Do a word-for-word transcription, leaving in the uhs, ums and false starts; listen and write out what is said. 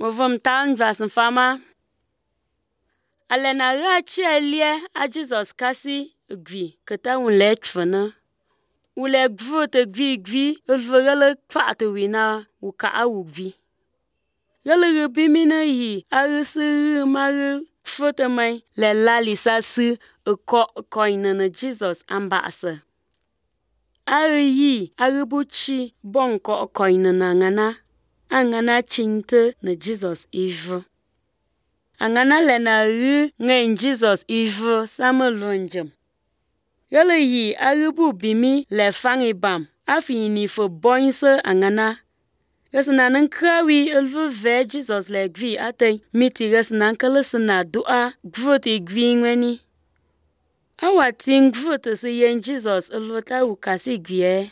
Movum tan vas fama. Alena rachi elie a Jesus kasi gvi keta un let fana. Ule gvu te gvi gvi ulvegele kwate wina uka a gvi. Gele rubimina yi arisiri mari fote mai le lali sasi uko koine na Jesus ambasa. Ari yi aribuchi bonko koine na ngana. Angana chinte na Jesus ivu. Angana lena ri ngain Jesus ivu samalunjum. Yele yi aribu bimi le fangi bam. Afi ni fo boinse angana. Yesna nankrawi ulvu ve Jesus le gvi ate miti yesna kalesna dua gvuti gvi ngweni. Awa ting gvuti si yen Jesus ulvu ta ukasi gvi e.